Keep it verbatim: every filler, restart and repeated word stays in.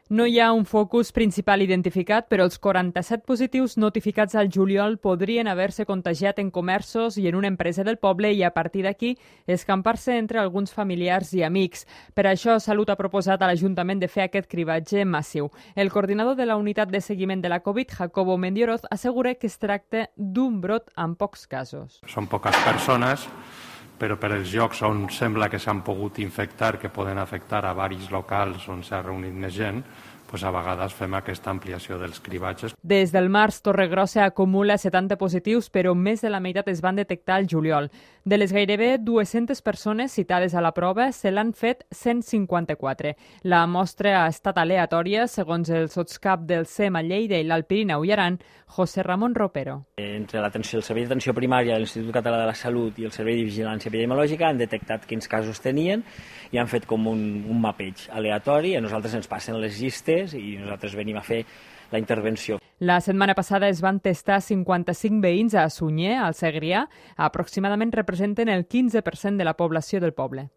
No hi ha un focus principal identificat, però els quaranta-set positius notificats al juliol podrien haver-se contagiat en comerços i en una empresa del poble i a partir d'aquí escampar-se entre alguns familiars i amics. Per això, Salut ha proposat a l'Ajuntament de fer aquest cribatge massiu. El coordinador de la unitat de seguiment de la Covid, Jacobo Mendioroz, assegura que es tracta d'un brot amb pocs casos. Són poques persones, però per els llocs on sembla que s'han pogut infectar, que poden afectar a varis locals on s'ha reunit més gent, doncs a vegades fem aquesta ampliació dels cribatges. Des del març, Torregrossa acumula setanta positius, però més de la meitat es van detectar al juliol. De les gairebé dues-centes persones citades a la prova, se l'han fet cent cinquanta-quatre. La mostra ha estat aleatòria, segons el sotscap del C E M a Lleida i l'Alt Pirineu i Aran, José Ramon Ropero. Entre l'atenció, el Servei d'Atenció Primària, l'Institut Català de la Salut i el Servei de Vigilància Epidemiològica han detectat quins casos tenien i han fet com un, un mapeig aleatori. A nosaltres ens passen les llistes i nosaltres venim a fer la intervenció. La setmana passada es van testar cinquanta-cinc veïns a Sunyer, al Segrià. Aproximadament representen el quinze per cent de la població del poble.